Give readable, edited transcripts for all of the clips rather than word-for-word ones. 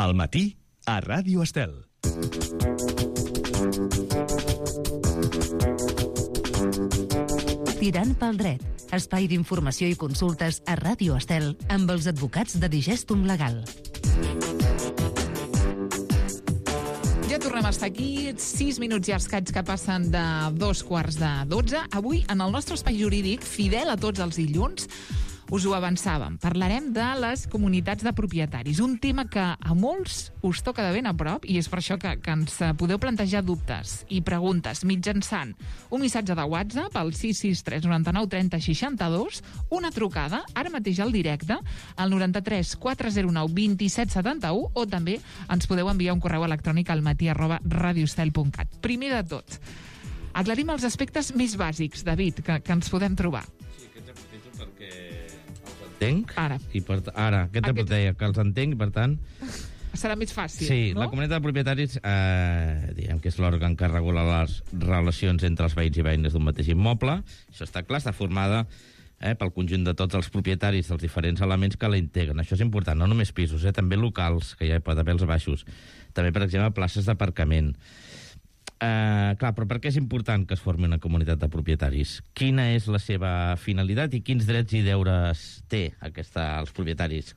Al matí, a Ràdio Estel. Tirant pel dret, espai d'informació i consultes a Ràdio Estel amb els advocats de Digestum Legal. Ja tornem a estar aquí, 6 minuts i escaig que passen de 2:45. Avui, en el nostre espai jurídic, fidel a tots els dilluns, us ho avançàvem. Parlarem de les comunitats de propietaris, un tema que a molts us toca de ben a prop i és per això que ens podeu plantejar dubtes i preguntes mitjançant un missatge de WhatsApp al 663 99 30 62, una trucada, ara mateix al directe, al 93 409 27 71, o també ens podeu enviar un correu electrònic al matí@radioestel.cat. Primer de tot, aclarim els aspectes més bàsics, David, que ens podem trobar. Sí, aquests aprofito perquè entenc. Ara. Aquest deia que els entenc i, per tant... Serà més fàcil, sí, no? La comunitat de propietaris, diguem que és l'òrgan que regula les relacions entre els veïns i veïnes d'un mateix immoble. Això està clar, està formada pel conjunt de tots els propietaris dels diferents elements que la integren. Això és important, no només pisos, també locals, que ja hi pot haver els baixos. També, per exemple, places d'aparcament. Clar, però per què és important que es formi una comunitat de propietaris? Quina és la seva finalitat i quins drets i deures té els propietaris?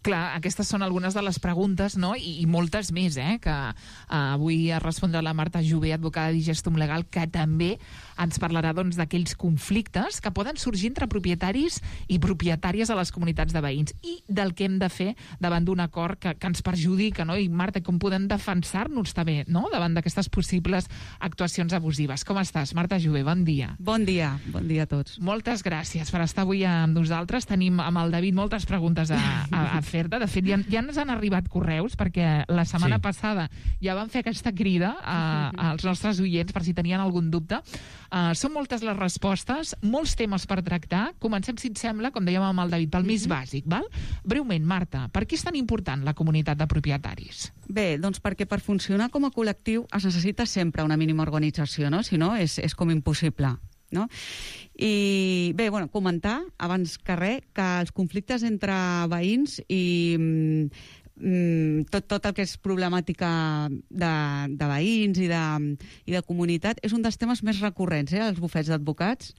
Clar, aquestes són algunes de les preguntes, no? I moltes més, que avui respondrà la Marta Jové, advocada de Digestum Legal, que també ens parlarà d'aquells conflictes que poden sorgir entre propietaris i propietàries a les comunitats de veïns i del que hem de fer davant d'un acord que ens perjudica, no? I Marta, com podem defensar-nos també, no? Davant d'aquestes possibles actuacions abusives. Com estàs, Marta Jové? Bon dia. Bon dia a tots. Moltes gràcies per estar avui amb nosaltres. Tenim amb el David moltes preguntes a fer. De fet, ja ens han arribat correus, perquè la setmana passada ja vam fer aquesta crida als nostres oients per si tenien algun dubte. Són moltes les respostes, molts temes per tractar. Comencem, si et sembla, com dèiem amb el David, pel més bàsic, val? Breument, Marta, per què és tan important la comunitat de propietaris? Bé, doncs perquè per funcionar com a col·lectiu es necessita sempre una mínima organització, no? Si no, és com impossible, no? I bé, comentar abans que res que els conflictes entre veïns i tot el que és problemàtica de veïns i de comunitat és un dels temes més recurrents als bufets d'advocats.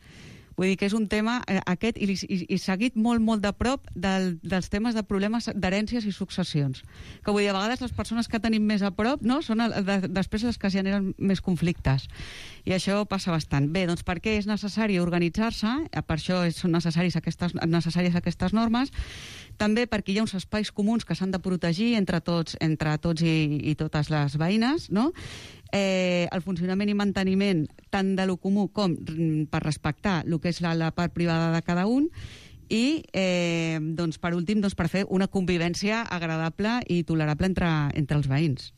Vull dir que és un tema aquest i seguit molt de prop dels temes de problemes d'herències i successions. Que vull dir, a vegades les persones que tenim més a prop, no, són després les que generen més conflictes. I això passa bastant. Bé, doncs per què és necessari organitzar-se? Per això són necessàries aquestes normes. També perquè hi ha uns espais comuns que s'han de protegir entre tots i totes les veïnes, no? El funcionament i manteniment tant de lo comú com per respectar el que és la part privada de cada un i, per últim, per fer una convivència agradable i tolerable entre els veïns.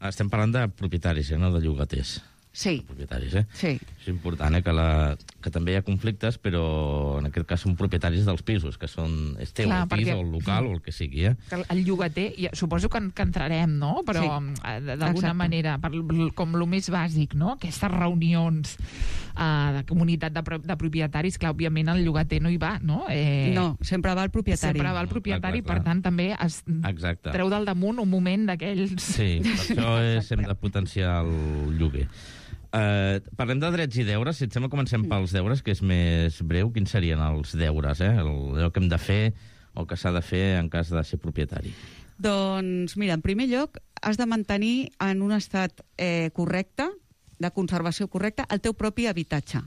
Estem parlant de propietaris, no de llogaters. Sí. Propietaris, Sí. És important, que també hi ha conflictes, però en aquest cas són propietaris dels pisos, que és teu, el pis o el local o el que sigui, El llogater, suposo que entrarem, no? Però d'alguna manera, com el més bàsic, no? Aquestes reunions de comunitat de propietaris, clar, òbviament el llogater no hi va, no? No, sempre va el propietari. Sempre va el propietari, per tant, també es treu del damunt un moment d'aquells... Sí, per això hem de potenciar el lloguer. Parlem de drets i deures. Si et sembla, comencem pels deures, que és més breu. Quins serien els deures, allò que hem de fer o que s'ha de fer en cas de ser propietari? Doncs mira, en primer lloc has de mantenir en un estat correcte, de conservació correcta, el teu propi habitatge,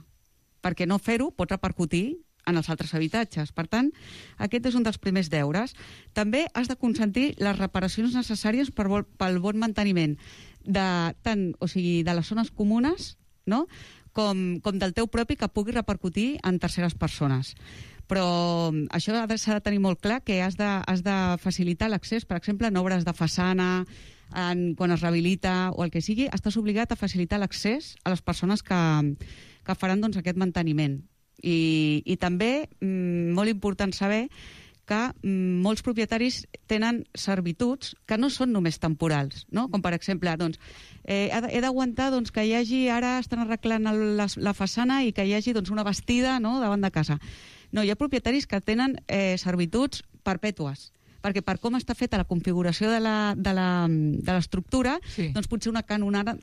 perquè no fer-ho pot repercutir en els altres habitatges. Per tant, aquest és un dels primers deures. També has de consentir les reparacions necessàries pel bon manteniment de les zones comunes, no? com del teu propi, que pugui repercutir en terceres persones. Però això s'ha de tenir molt clar, que has de facilitar l'accés, per exemple, en obres de façana, quan es rehabilita o el que sigui, estàs obligat a facilitar l'accés a les persones que faran aquest manteniment. I també, molt important saber que molts propietaris tenen servituds que no són només temporals, no? Com per exemple, he d'aguantar que hi hagi, ara estan arreglant la façana i que hi hagi una bastida, no?, davant de casa. No, hi ha propietaris que tenen servituds perpètues. perquè per com està feta la configuració de l'estructura, doncs potser una canonada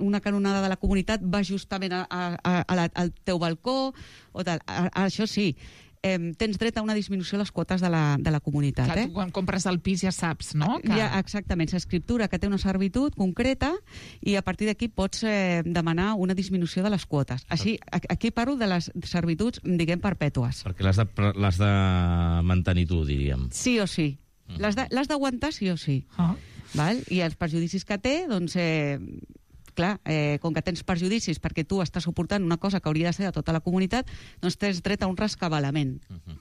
de la comunitat va justament al teu balcó, o tal. Això sí, tens dret a una disminució de les quotes de la comunitat. Clar, tu quan compres el pis ja saps, no? Exactament, s'escriptura que té una servitud concreta i a partir d'aquí pots demanar una disminució de les quotes. Així, aquí parlo de les servituds, diguem, perpètues. Perquè l'has de mantenir tu, diríem. Sí o sí. L'has d'aguantar sí o sí. Val? I els perjudicis que té, doncs... clar, com que tens perjudicis perquè tu estàs suportant una cosa que hauria de ser de tota la comunitat, doncs tens dret a un rescabalament.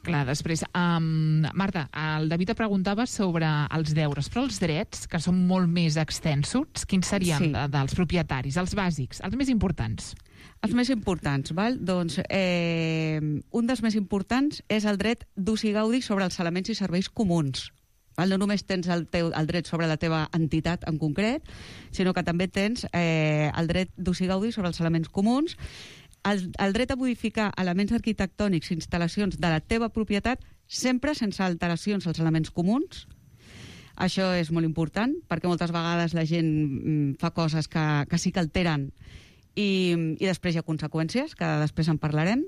Clar, després, Marta, el David et preguntava sobre els deures, però els drets, que són molt més extensos, quins serien dels propietaris, els bàsics, els més importants? Els més importants, val? Doncs un dels més importants és el dret d'ús i gaudi sobre els elements i serveis comuns. No només tens el dret sobre la teva entitat en concret, sinó que també tens el dret d'ús i gaudi sobre els elements comuns, el dret a modificar elements arquitectònics i instal·lacions de la teva propietat, sempre sense alteracions als elements comuns. Això és molt important, perquè moltes vegades la gent fa coses que sí que alteren i després hi ha conseqüències, que després en parlarem.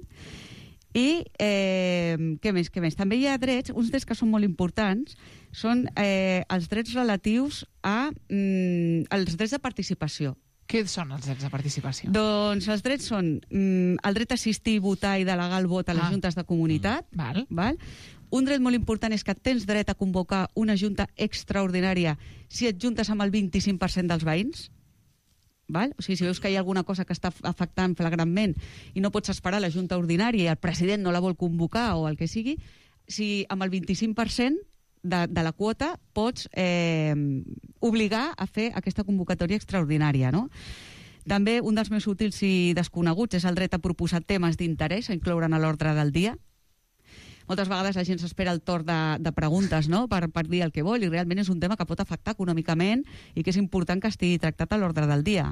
I què més? També hi ha drets, uns drets que són molt importants, són els drets relatius als drets de participació. Què són els drets de participació? Doncs els drets són el dret a assistir, votar i delegar el vot a les juntes de comunitat. Val. Un dret molt important és que tens dret a convocar una junta extraordinària si et juntes amb el 25% dels veïns. Val? O sigui, si veus que hi ha alguna cosa que està afectant flagrantment i no pots esperar la junta ordinària i el president no la vol convocar o el que sigui, si amb el 25% de la quota pots obligar a fer aquesta convocatòria extraordinària, no? També un dels més útils i desconeguts és el dret a proposar temes d'interès a incloure'n a l'ordre del dia. Moltes vegades la gent s'espera el torn de preguntes, no?, per dir el que vol, i realment és un tema que pot afectar econòmicament i que és important que estigui tractat a l'ordre del dia.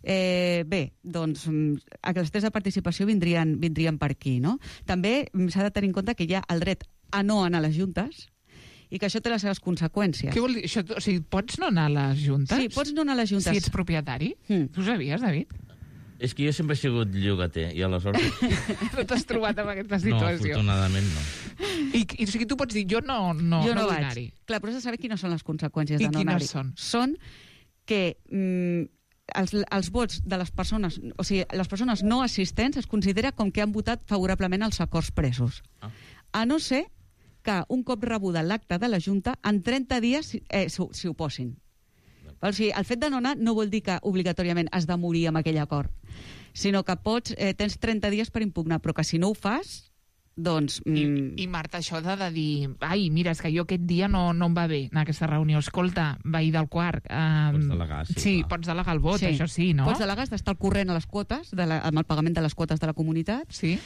Bé, doncs, els drets de participació vindrien per aquí, no? També s'ha de tenir en compte que hi ha el dret a no anar a les juntes i que això té les seves conseqüències. Què vol dir? O sigui, pots no anar a les juntes? Sí, pots no anar a les juntes. Si ets propietari? Tu ho sabies, David? És que jo sempre he sigut llogater, i aleshores... No t'has trobat en aquesta situació? No, afortunadament no. I o sigui, tu pots dir, jo no vull anar-hi. Clar, però has de saber quines són les conseqüències de no anar-hi. I quines són? Són que els vots de les persones, o sigui, les persones no assistents es considera com que han votat favorablement als acords presos. A no ser que un cop rebuda l'acte de la Junta, en 30 dies s'hi oposin. O sigui, el fet de no anar no vol dir que obligatòriament has de morir amb aquell acord, sinó que tens 30 dies per impugnar, però que si no ho fas, doncs... I Marta, això de dir, ai, mira, és que jo aquest dia no em va bé anar a aquesta reunió. Escolta, veí del Quart... Pots delegar, sí. Sí, pots delegar el vot, això sí, no? Pots delegar, has d'estar al corrent a les quotes, amb el pagament de les quotes de la comunitat. Sí.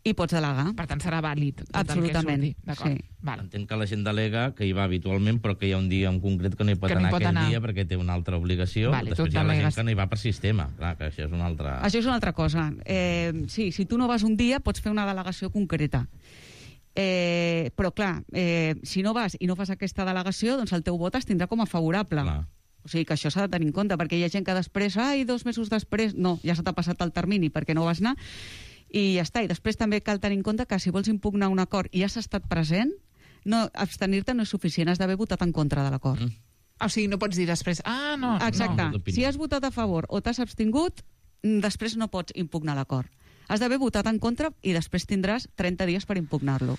I pots delegar. Per tant, serà vàlid tot absolutament, el que surti. D'acord. Sí. Entenc que la gent delega que hi va habitualment, però que hi ha un dia en concret que no hi pot anar aquell dia perquè té una altra obligació. Després hi ha la gent que no hi va per sistema. Clar, que això és una altra... Això és una altra cosa. Sí, si tu no vas un dia, pots fer una delegació concreta. Però, clar, si no vas i no fas aquesta delegació, doncs el teu vot es tindrà com a favorable. Clar. O sigui que això s'ha de tenir en compte, perquè hi ha gent que després, 2 mesos després, no, ja se t'ha passat el termini perquè no vas anar, i ja està. I després també cal tenir en compte que si vols impugnar un acord i has estat present, abstenir-te no és suficient, has d'haver votat en contra de l'acord. O sigui, no pots dir després, no. Exacte. Si has votat a favor o t'has abstingut, després no pots impugnar l'acord. Has d'haver votat en contra i després tindràs 30 dies per impugnar-lo.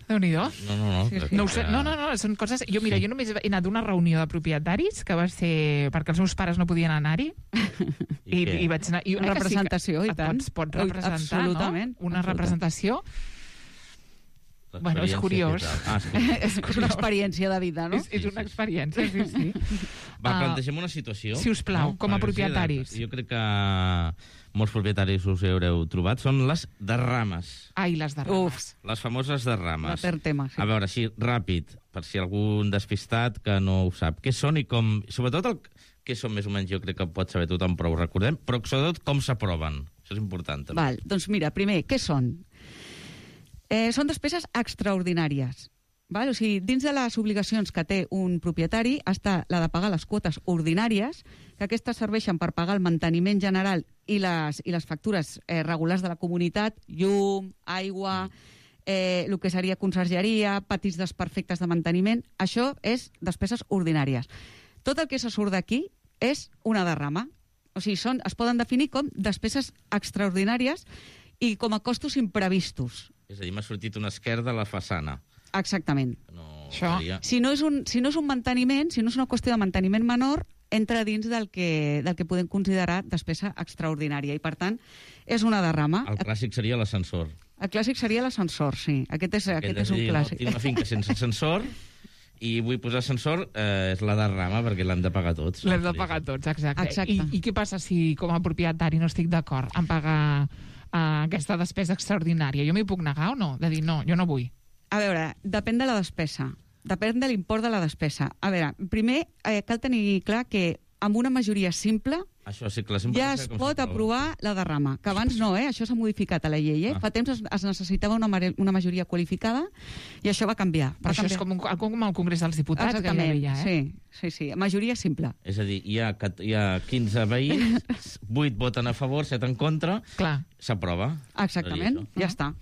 Déu-n'hi-do. No, són coses... Jo només he anat a una reunió de propietaris que va ser perquè els meus pares no podien anar-hi i vaig anar... Una representació, i tant. Pots representar, absolutament, no? Una representació... Bueno, és curiós. És una experiència de vida, no? És una experiència, sí. Va, plantegem una situació. Si us plau, com a propietaris. Jo crec que molts propietaris us haureu trobat. Són les derrames. Ai, les derrames. Les famoses derrames. Tema, sí. A veure, així, ràpid, per si algun despistat que no ho sap. Què són i com... Sobretot què són més o menys, jo crec que pot saber tothom, però ho recordem, però sobretot com s'aproven. Això és important, també. Doncs mira, primer, què són? Són despeses extraordinàries. Val? O sigui, dins de les obligacions que té un propietari està la de pagar les quotes ordinàries, que aquestes serveixen per pagar el manteniment general i les factures regulars de la comunitat, llum, aigua, el que seria consergeria, patis desperfectes de manteniment. Això és despeses ordinàries. Tot el que se surt d'aquí és una derrama. O sigui, es poden definir com despeses extraordinàries i com a costos imprevistos. És a dir, m'ha sortit una esquerda a la façana. Exactament. Això. Si no és un manteniment, si no és una qüestió de manteniment menor, entra dins del que podem considerar despesa extraordinària i, per tant, és una derrama. El clàssic seria l'ascensor. El clàssic seria l'ascensor, sí. Aquest és un clàssic. Tinc una finca sense ascensor i vull posar ascensor, és la derrama perquè l'hem de pagar tots. L'hem de pagar tots, exacte. Exacte. I què passa si, com a propietari, no estic d'acord en pagar aquesta despesa extraordinària? Jo m'hi puc negar o no? De dir, no, jo no vull. A veure, depèn de la despesa. Depèn de l'import de la despesa. A veure, primer cal tenir clar que amb una majoria simple Això sí, clar, ja es pot aprovar la derrama, que abans no, això s'ha modificat a la llei. Fa temps es necessitava una majoria qualificada i això va canviar. Això és com el Congrés dels Diputats. Exactament, que ja veia, sí, majoria simple. És a dir, hi ha 15 veïns, 8 voten a favor, 7 en contra, s'aprova. Exactament, ja està.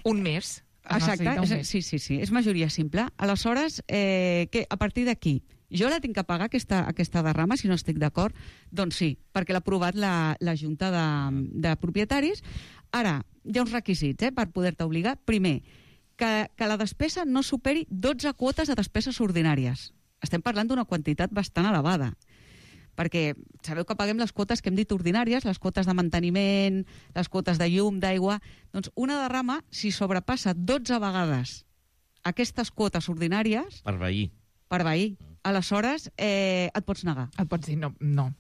Un mes. Exacte, sí, és majoria simple. Aleshores, a partir d'aquí, jo la tinc que pagar, aquesta derrama, si no estic d'acord? Doncs sí, perquè l'ha aprovat la Junta de Propietaris. Ara, hi ha uns requisits per poder-te obligar. Primer, que la despesa no superi 12 quotes de despeses ordinàries. Estem parlant d'una quantitat bastant elevada, perquè sabeu que paguem les quotes que hem dit ordinàries, les quotes de manteniment, les quotes de llum, d'aigua. Doncs una derrama, si sobrepassa 12 vegades aquestes quotes ordinàries... Per veí. Aleshores, et pots negar. Et pots dir no,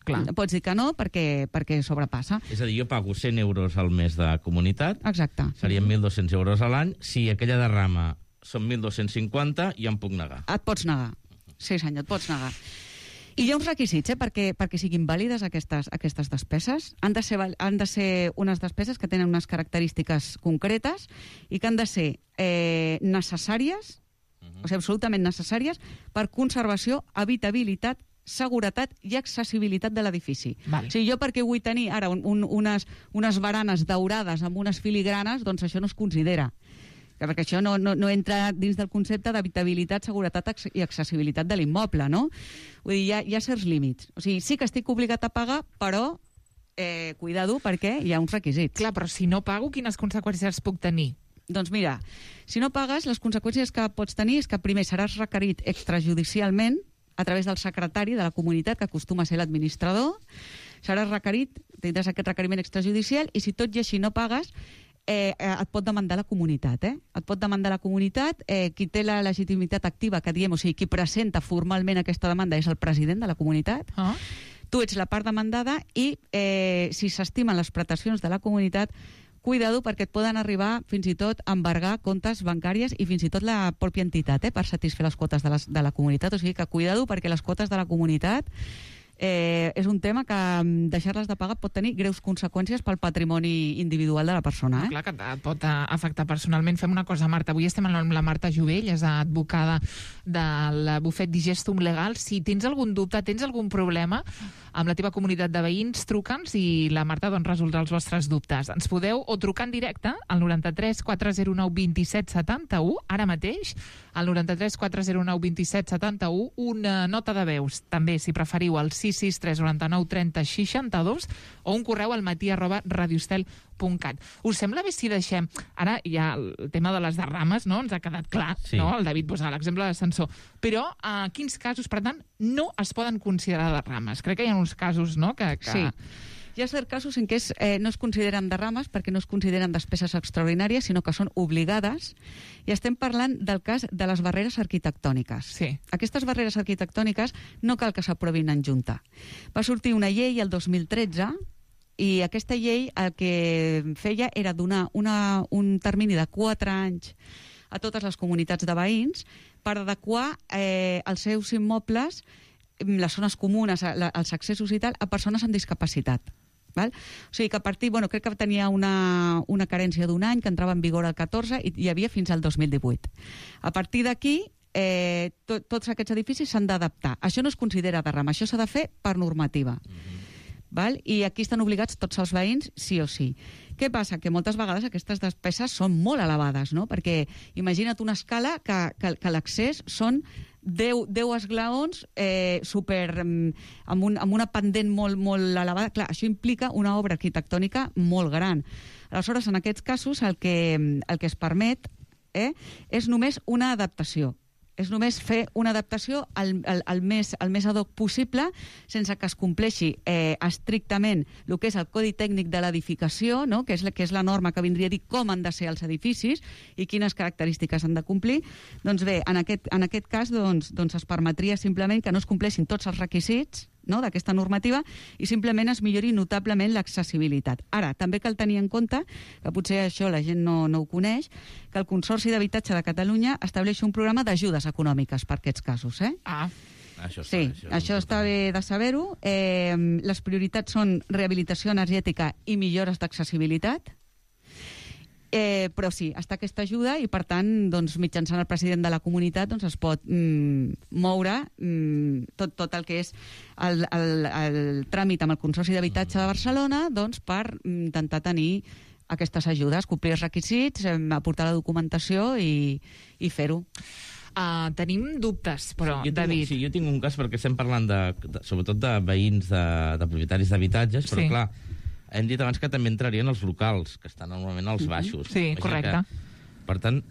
clar. Pots dir que no perquè sobrepassa. És a dir, jo pago 100 euros al mes de comunitat. Exacte. Serien 1.200 euros a l'any. Si aquella derrama són 1.250, jo em puc negar. Et pots negar. Sí, senyor, et pots negar. I hi ha uns requisits perquè siguin vàlides aquestes despeses. Han de ser unes despeses que tenen unes característiques concretes i que han de ser necessàries, o sigui, absolutament necessàries, per conservació, habitabilitat, seguretat i accessibilitat de l'edifici. O sigui, jo perquè vull tenir ara unes baranes daurades amb unes filigranes, doncs això no es considera. Perquè això no entra dins del concepte d'habitabilitat, seguretat i accessibilitat de l'immoble, no? Vull dir, hi ha certs límits. O sigui, sí que estic obligat a pagar, però cuidado, perquè hi ha uns requisits. Clar, però si no pago, quines conseqüències puc tenir? Doncs mira, si no pagues, les conseqüències que pots tenir és que primer seràs requerit extrajudicialment a través del secretari de la comunitat, que acostuma a ser l'administrador, seràs requerit, tindràs aquest requeriment extrajudicial, i si tot i així no pagues, et pot demandar la comunitat. Et pot demandar la comunitat, qui té la legitimitat activa, que diem, o sigui, qui presenta formalment aquesta demanda és el president de la comunitat. Tu ets la part demandada i si s'estimen les pretensions de la comunitat, cuidado, perquè et poden arribar fins i tot a embargar comptes bancàries i fins i tot la pròpia entitat per satisfer les quotes de la comunitat. O sigui que cuidado, perquè les quotes de la comunitat és un tema que deixar-les de pagar pot tenir greus conseqüències pel patrimoni individual de la persona. Clar que et pot afectar personalment. Fem una cosa, Marta. Avui estem amb la Marta Jovell, és advocada del bufet Digestum Legal. Si tens algun dubte, tens algun problema amb la teva comunitat de veïns, truca'ns i la Marta resoldrà els vostres dubtes. Ens podeu o trucar en directe al 93 409 27 71, ara mateix, al 93 409 27 71, una nota de veus, també, si preferiu, al 663 99 30 62 o un correu al matí@radioestel.cat. Us sembla bé si deixem... Ara ja el tema de les derrames, no?, ens ha quedat clar, sí. No? El David posa l'exemple de l'ascensor. Però quins casos, per tant, no es poden considerar derrames? Crec que hi ha uns casos, no?, que... Sí. Hi ha certs casos en què no es consideren derrames perquè no es consideren despeses extraordinàries, sinó que són obligades, i estem parlant del cas de les barreres arquitectòniques. Sí. Aquestes barreres arquitectòniques no cal que s'aprovin en junta. Va sortir una llei el 2013 i aquesta llei el que feia era donar un termini de 4 anys a totes les comunitats de veïns per adequar els seus immobles, les zones comunes, els accessos i tal, a persones amb discapacitat. Val? O sigui que a partir, crec que tenia una carència d'un any, que entrava en vigor el 14 i hi havia fins al 2018. A partir d'aquí, tots aquests edificis s'han d'adaptar. Això no es considera de ram, això s'ha de fer per normativa. Val? I aquí estan obligats tots els veïns, sí o sí. Què passa? Que moltes vegades aquestes despeses són molt elevades, no? Perquè imagina't una escala que l'accés són 10 esglaons amb una pendent molt elevada. Clar, això implica una obra arquitectònica molt gran. Aleshores, en aquests casos, el que es permet és només una adaptació. És només fer una adaptació el més ad hoc possible, sense que es compleixi estrictament el que és el codi tècnic de l'edificació, no? que és la norma que vindria a dir com han de ser els edificis i quines característiques han de complir. Doncs bé, en aquest cas es permetria simplement que no es compleixin tots els requisits, no?, d'aquesta normativa i simplement es millori notablement l'accessibilitat. Ara, també cal tenir en compte, que potser això la gent no ho coneix, que el Consorci d'Habitatge de Catalunya estableix un programa d'ajudes econòmiques per aquests casos. Això està bé de saber-ho. Les prioritats són rehabilitació energètica i millores d'accessibilitat. Però sí, està aquesta ajuda i, per tant, mitjançant el president de la comunitat es pot moure tot el que és el tràmit amb el Consorci d'Habitatge de Barcelona per intentar tenir aquestes ajudes, complir els requisits, aportar la documentació i fer-ho. Tenim dubtes, però, David... Sí, jo tinc un cas perquè estem parlant sobretot de veïns, de propietaris d'habitatges, però clar, hem dit abans que també entrarien els locals, que estan normalment als baixos. Sí, correcte. Per tant,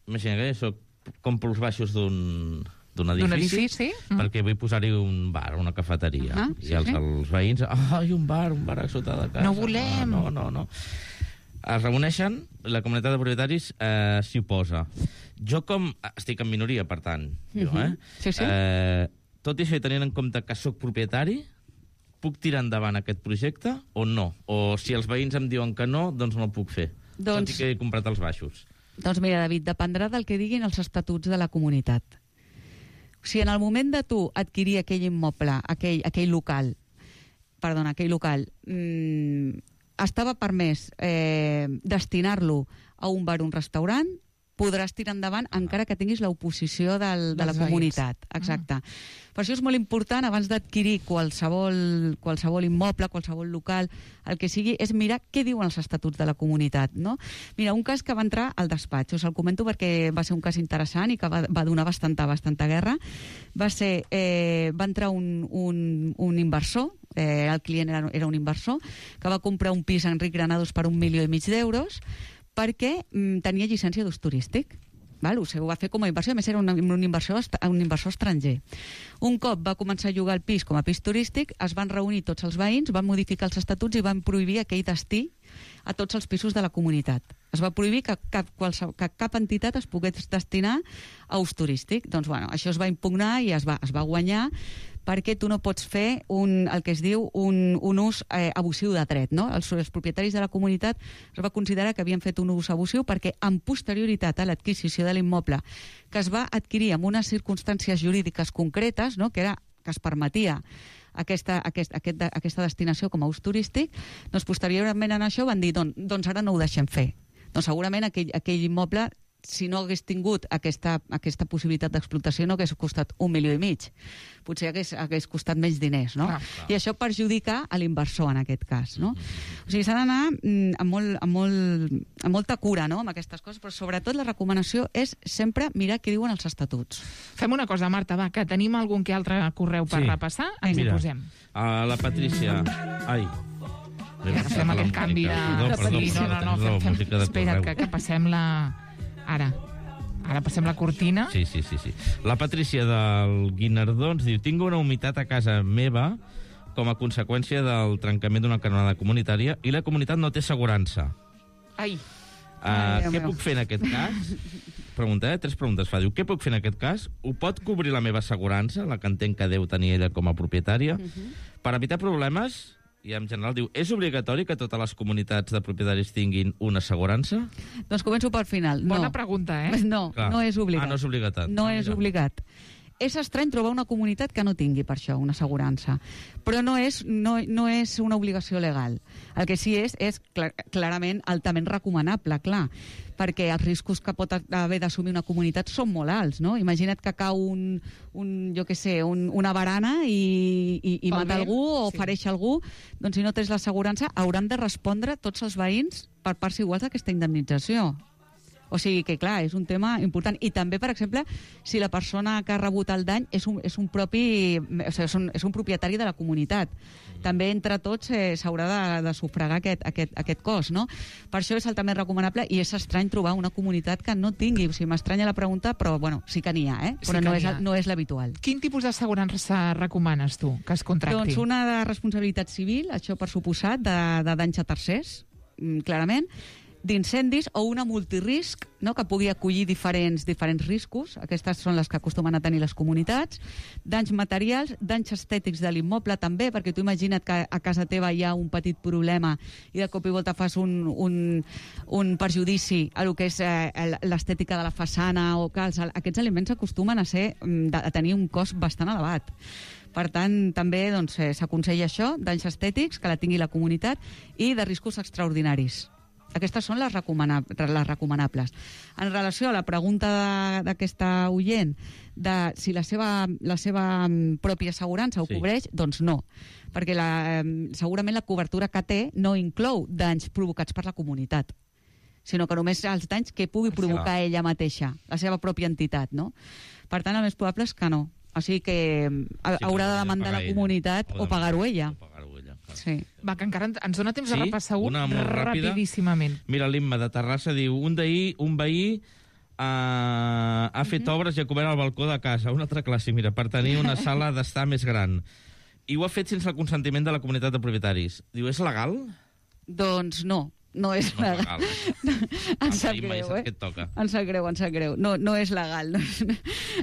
imagina que jo compro els baixos d'un edifici, perquè vull posar-hi un bar, una cafeteria. I els veïns, un bar a sota de casa. No volem. No. Es reuneixen, la comunitat de propietaris s'hi oposa. Jo estic en minoria, per tant, tot i això, tenint en compte que sóc propietari, puc tirar endavant aquest projecte o no? O si els veïns em diuen que no, doncs no el puc fer, tot i que he comprat els baixos. Doncs mira, David, dependrà del que diguin els estatuts de la comunitat. Si en el moment de tu adquirir aquell immoble, aquell local, estava permès destinar-lo a un bar o un restaurant, podràs tirar endavant encara que tinguis l'oposició de la comunitat. Exacte. Per això és molt important, abans d'adquirir qualsevol immoble, qualsevol local, el que sigui, és mirar què diuen els estatuts de la comunitat. No? Mira, un cas que va entrar al despatx, us el comento perquè va ser un cas interessant i que va donar bastanta guerra, va entrar un inversor, el client era un inversor, que va comprar un pis a Enric Granados per 1,5 milions d'euros, perquè tenia llicència d'ús turístic. Ho va fer com a inversió, a més era un inversor estranger. Un cop va començar a llogar el pis com a pis turístic, es van reunir tots els veïns, van modificar els estatuts i van prohibir aquell destí a tots els pisos de la comunitat. Es va prohibir que cap entitat es pogués destinar a ús turístic. Doncs, això es va impugnar i es va guanyar, perquè tu no pots fer el que es diu un ús abusiu de dret. No? Els propietaris de la comunitat es va considerar que havien fet un ús abusiu perquè amb posterioritat a l'adquisició de l'immoble, que es va adquirir en unes circumstàncies jurídiques concretes, no? que es permetia aquesta destinació com a ús turístic, doncs posteriorment a això van dir doncs ara no ho deixem fer. Doncs segurament aquell immoble, si no hagués tingut aquesta possibilitat d'explotació, no hagués costat 1,5 milions. Potser hagués costat menys diners, no? I això perjudica a l'inversor, en aquest cas, no? O sigui, s'ha d'anar amb molta cura, no?, amb aquestes coses, però sobretot la recomanació és sempre mirar què diuen els estatuts. Fem una cosa, Marta, va, que tenim algun que altre correu per repassar, ens hi posem. La Patrícia... Ja fem aquell canvi de... No, espera't, que passem la... Ara passem la cortina. Sí. La Patrícia del Guinardó ens diu: tinc una humitat a casa meva com a conseqüència del trencament d'una canonada comunitària i la comunitat no té assegurança. Què puc fer en aquest cas? Pregunta, 3 preguntes fa. Diu, què puc fer en aquest cas? Ho pot cobrir la meva assegurança, la que entenc que deu tenir ella com a propietària? Per evitar problemes... I en general diu, és obligatori que totes les comunitats de propietaris tinguin una assegurança? Doncs començo pel final. Bona pregunta, No, no és obligat. No és obligatori. No és obligat. És estrany trobar una comunitat que no tingui per això una assegurança, però no és una obligació legal. El que sí és clarament altament recomanable, clar, perquè els riscos que pot haver d'assumir una comunitat són molt alts, no? Imagina't que cau una barana i mata algú o fereix algú, doncs si no tens l'assegurança hauran de respondre tots els veïns per parts iguals d'aquesta indemnització. O sigui que, clar, és un tema important. I també, per exemple, si la persona que ha rebut el dany és un propietari de la comunitat. També, entre tots, s'haurà de sufragar aquest cost, no? Per això és altament recomanable i és estrany trobar una comunitat que no tingui. O sigui, m'estranya la pregunta, però, bueno, sí que n'hi ha, però no és l'habitual. Quin tipus d'assegurança recomanes tu que es contracti? Doncs una de responsabilitat civil, això per suposat, de danys a tercers, clarament, d'incendis o una multirisc, no?, que pugui acollir diferents riscos. Aquestes són les que acostumen a tenir les comunitats. Danys materials, danys estètics de l'immoble també, perquè tu imagina't que a casa teva hi ha un petit problema i de cop i volta fas un perjudici a lo que és l'estètica de la façana, o que aquests elements acostumen a tenir un cost bastant elevat. Per tant, també s'aconsella això, danys estètics, que la tingui la comunitat, i de riscos extraordinaris. Aquestes són les recomanables. En relació a la pregunta d'aquesta oient de si la seva pròpia assegurança ho cobreix, doncs no, perquè segurament la cobertura que té no inclou danys provocats per la comunitat, sinó que només els danys que pugui provocar ella mateixa, la seva pròpia entitat, no? Per tant, el més probable és que no. O sigui que haurà de demandar la comunitat o pagar-ho ella. Sí. Va, que encara ens dona temps de repassar rapidíssimament. Mira, l'Imma de Terrassa diu: un veí ha fet obres i ha cobert el balcó de casa, una altra classe, mira, per tenir una sala d'estar més gran. I ho ha fet sense el consentiment de la comunitat de propietaris. Diu, és legal? Doncs no. No és legal. Em sap greu, Em sap greu. No és legal.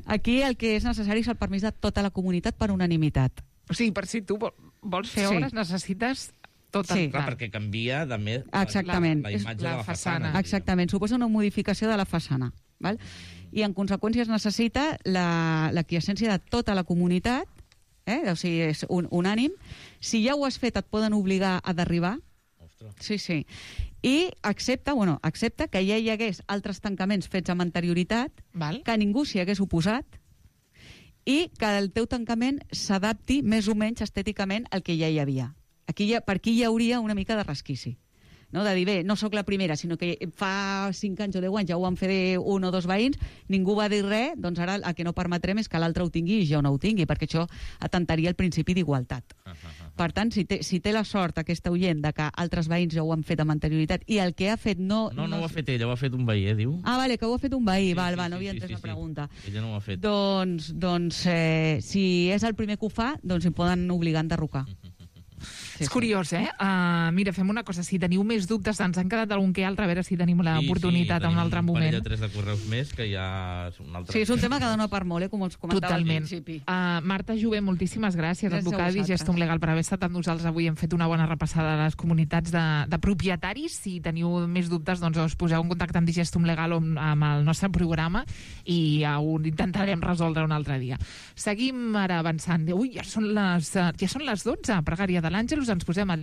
Aquí el que és necessari és el permís de tota la comunitat per unanimitat. O sigui, per si tu vols fer obres, necessites tot el... Clar, perquè canvia també la imatge de la façana. Exactament, suposa una modificació de la façana. Val? I en conseqüència es necessita l'aquiescència de tota la comunitat, o sigui, és unànim. Si ja ho has fet, et poden obligar a derribar. Sí. I accepta que ja hi hagués altres tancaments fets amb anterioritat, que ningú s'hi hagués oposat, i que el teu tancament s'adapti més o menys estèticament al que ja hi havia. Per aquí hi hauria una mica de resquici. No? De dir, bé, no sóc la primera, sinó que fa 5 anys o 10 anys ja ho van fer 1 o 2 veïns, ningú va dir res, doncs ara el que no permetrem és que l'altre ho tingui i jo no ho tingui, perquè això atentaria el principi d'igualtat. Per tant, si té la sort aquesta oient de que altres veïns ja ho han fet amb anterioritat i el que ha fet no... No ho ha fet ella, ho ha fet un veí, diu. Ah, vale, que ho ha fet un veí, no havia entès la pregunta. Ella no ho ha fet. Doncs si és el primer que ho fa, doncs hi poden obligar a enderrocar. És curiós, mira, fem una cosa, si teniu més dubtes, ens han quedat algun que altre, a veure si tenim l'oportunitat en un altre moment. Sí, tenim un parell de 3 de correus més, que ja és un altre... Sí, és un tema que dona per molt, com us comentava al principi. Marta Jové, moltíssimes gràcies, advocada i gestum legal, per haver estat amb nosaltres avui. Hem fet una bona repassada de les comunitats de propietaris. Si teniu més dubtes, doncs us poseu en contacte amb Digestum Legal o amb el nostre programa i ho intentarem resoldre un altre dia. Seguim ara avançant. Ui, ja són les 12, pregària de l'Àngelus, ens posem al